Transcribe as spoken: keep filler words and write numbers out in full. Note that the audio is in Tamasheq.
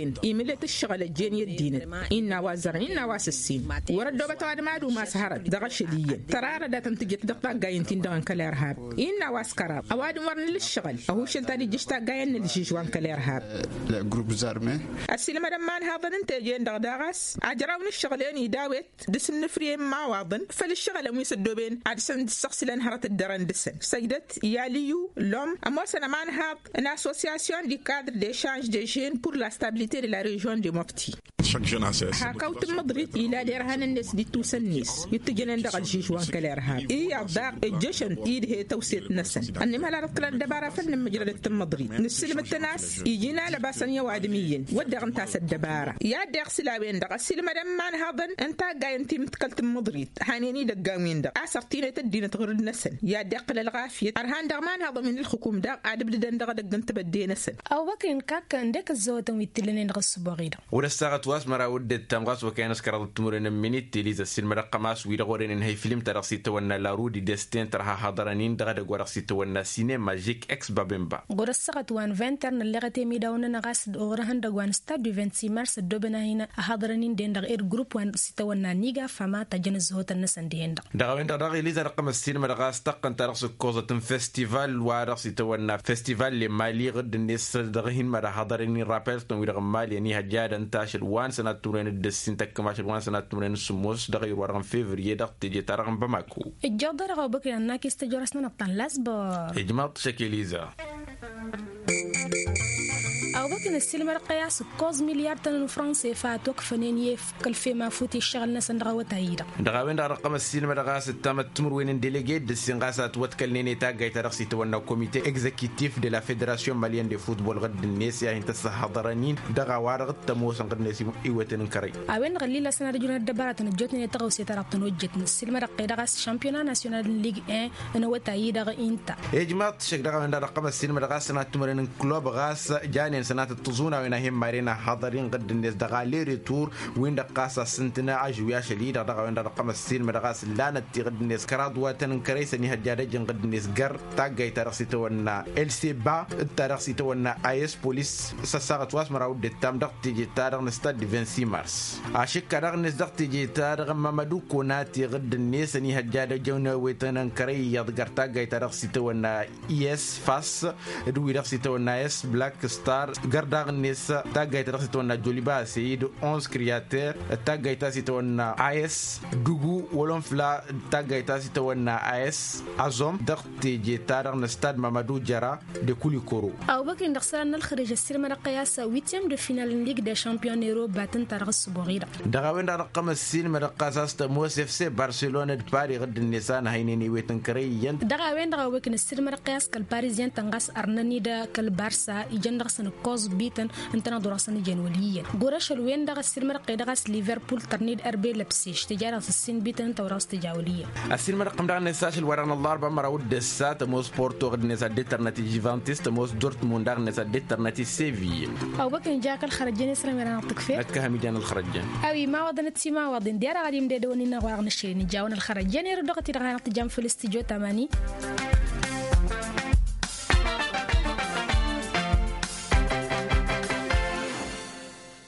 a-wen imǝllet ǝššăɣǝl ăjjeen i-ăddinăt. Innă a-wa ăzzărăn innă a-wa s-ǝssin wăr-ăddoobăt ăwadǝm ad-umas hărăt dăɣ-ašăl iyyăn tăra arădatăn tǝjjăt dăɣ-taggayen-tin-dăɣ n-kăl-irhab. Innă a-wa s-kăraḍ ăwadǝm wăr nǝla ǝššăɣǝl ăhušăn ta d-ijjǝš taggayen n-ǝlžǝžwa n-kăl-irhab. Ăssiilmădăn imanhaḍăn n-teje-en-dăɣ daɣ a-s ajraw n-ǝššăɣǝl-en idawet dăr-s ǝnnǝfrǝy n-imawaḍăn făll-ǝššăɣǝlăn wi s-ăddooben ad-săn dd-săɣsǝlăn hărăt dd-ărăn dăr-săn săjdăt i-alǝyyu lom ămoosăn ămanhaḍ n-association du cadre de change de jeune pour la stabilité de la region de mofti. Hak-awt n-măḍrit ila derhan-net d-ittusăn-net itǝjănen dăɣ-ălžiž wa n-kăl-irhab iyyăḍ daɣ ǝjjăšăn-t idhe tăwset-năsăn. Ănnim hăla dăɣ-tǝla ăddăbara făll-nǝmmǝjrădăt n-măḍrit nǝssǝlmǝd-tăn a-s iji n-alăbasăn i-ăwadǝm iyyăn wădden ǝnta a-s ăddăbara. I-ad-deɣ sǝla-wen-dăɣ ăssiilmădăn imanhaḍăn n-taggayen timǝḍkălt n-măḍrit hanen-i idăggan-win-dăɣ a-s ărtinet ăddinăt ɣur-dd-năsăn. I-ad-deɣ tǝla ălɣafyăt ărhan dăɣ-imanhaḍăn wi n-ǝlxǝkum daɣ ad-ǝbdǝdăn dăɣ-edăgg n-tebădde-năsăn. Awăkăn kak ǝndek ăzzăwătăn wi t-illănen dăɣ-ǝssǝboɣ-i-dăɣ. Ɣur-ăssaɣăt wa s-măraw d-ǝttam ɣas wăkăyăn s-kăraḍăt timǝrwen n-minit tiliza ăssiilmădăɣ-tăm a-s wi-dăɣ orăynen hăy filim-ta-dăɣ s-itawănna larudi destin tărha haḍărăn-in dăɣ-edăgg wa dăɣ-s itawănna sinema žik eks babemba. Ɣur-ăssaɣăt wa n-vinter nălleɣăt i-imidawăn-nănăɣ a-s d-oɣrăhăn dăgg wa n-stad du vinti mars ăddooben ad-hin-ăhaḍărăn-in-den dăɣ-ed grupp wa n-s itawănna niga fama ta jăn ăzzăhotăn-năsăn dihen-dăɣ. Dăɣ-a-wen-dăɣ daɣ iliza dăɣ-tăm ăssiilmădăɣ a-s tăqqăn ta dăɣ-s ǝkkoẓăt n-festival wa dăɣ-s itawănna festival lemali ɣǝdd-net dăɣ-hin-măra haḍărăn-in rapeltăn wi-dăɣ n-mali ăniihăjjadăn tašăl wa n-sănat timǝrwen d-ǝssin tăkkăm ašăl wa n-sănat timǝrwen d-sǝmmos dăɣ-ayǝr wa dăɣ-n fevriye dăɣ-teje-ta-dăɣ n-bamako. Ǝjjeḍ-dăɣ a-wa băkăy ănnakes tăjorăsnănăɣ ta n-lasbăr. Ijmaḍ-t šăk eliza. Awăkăn ăssiilmădăɣ-tăy a-s ǝkkoẓ milyar-tăn n-franse fa ătwăkfănen i-efk ălfem afut i-ǝššăɣǝl-năsăn dăɣ-awătay-i-dăɣ. Dăɣ-a-wen-dăɣ dăɣ-tăm ăssiilmădăɣ a-s ǝttamăt timǝrwen n-delege d-ǝssin ɣas a ătwătkălnen i-taggayt ta dăɣ-s itawănna komite egzekitif de la federasyon malyen de futbol ɣǝdd-net i-ad-hin-tăssăhhăḍărăn-in dăɣ-a-wa-dăɣ t-ămoosăn ɣǝdd-net iwetăn n-kărăy. A-wen-dăɣ ăllilasăn ad-ăjrǝwăn ăddăbăratăn ăjjootnen i-taɣăwse ta dăɣ-tăn ojjetnăt ăssiilmădăɣ-tăy dăɣ-a-s šampiyona nasyonal n-lig en n-awătay-i-dăɣ inta. Ijmaḍ-t šăkk dăɣ-a-wen-dăɣ dăɣ-tăm ăssiilmădăɣ a-s sănat timǝrwen n-klub ɣas janen sănatăt tiẓunawen a hin-maren ăhhaḍăr-in ɣǝdd-net dăɣ-aleretur win-dăɣ ɣas a s-ǝntǝnă ažwi ašăl-i-dăɣ dăɣ-a-wen-dăɣ dăɣ-tăm ăssiilmădăɣ a-s ǝllanăt ti ɣǝdd-net kăraḍ wa tăn-ǝnkărăy s-ănihăjja ad-ăjǝn ɣǝdd-net găr taggayt ta dăɣ-s itawănna lcba d-ta dăɣ-s itawănna as polis s-ăssaɣăt wa s-măraw d-ǝttam dăɣ-teje-ta-dăɣ n-stad de vingt-six mars. Ašǝkka daɣ-net dăɣ-teje-ta-dăɣ n-mamădu konate ɣǝdd-net ănihăjja ad-ăjǝn ewetăn ǝnkărăy iyyăḍ găr taggayt ta dăɣ-s itawănna is fas d-wi-dăɣ s-itawănna is black star găr daɣ-net taggayt ta dăɣ-s itawănna joliba seid onze creater d-taggayt ta s-itawănna is dugu wolonfla d-taggayt ta s-itawănna is azom dăɣ-teje-ta-dăɣ n-stad mamădu jăra de kulikoro. Awăkăn dăɣ-isălan n-ălxărǝj ăssiilmădăɣ-tăy a-s witiyăm de final n-lig de šampiyon n-eroba tǝnta dăɣ-ǝssǝboɣ-i-dăɣ. Dăɣ-a-wen-dăɣ dăɣ-tăm ăssiilmădăɣ ɣas a-s tămoos efse barselona d-pari ɣǝdd-net a nǝhăynen ewet n-kărăy iyyăn. Dăɣ-a-wen-dăɣ awăkăn ăssiilmădăɣ-tăy a-s kăl-parizyen-tăn ɣas ărnăn-dd kăl-barsa ijăn dăɣ-săn ǝkkoẓ bităn ǝntăneḍ-wi-dăɣ s-ănǝjăn wăl' iyyăn. Ɣur-ašăl-wen-dăɣ ăssiilmădăɣ-tăy dăɣ-a-s liverpul tărned ărbe lăbseš tǝja dăɣ-s ǝssin bităn ǝnta-wi-dăɣ s-tǝja wăl' iyyăn. Ăssiilmădăɣ-tăm daɣ-net ašăl wa dăɣ-năllarba măraw d-ǝssa tămoos porto ɣǝd-net ad-dd-tărnăt i-žvantis tămoos dortmund daɣ-net ad-dd-tărnăt i-seviye. Awăkăn ja kăl-xărăjjăn i-sărăm i-ad-năɣ-tǝkfet. Năkkăhăm ijan ălxărăjjăn. A-wi imawaḍăn d-timawaḍin diya-dăɣ ad-imdedăwăn-in-dăɣ wa dăɣ-năššăl-in ijawăn ălxărăjjăn erud dăɣ-t-i-dăɣ hanăɣ-tǝjam făll-s tǝjo tamani.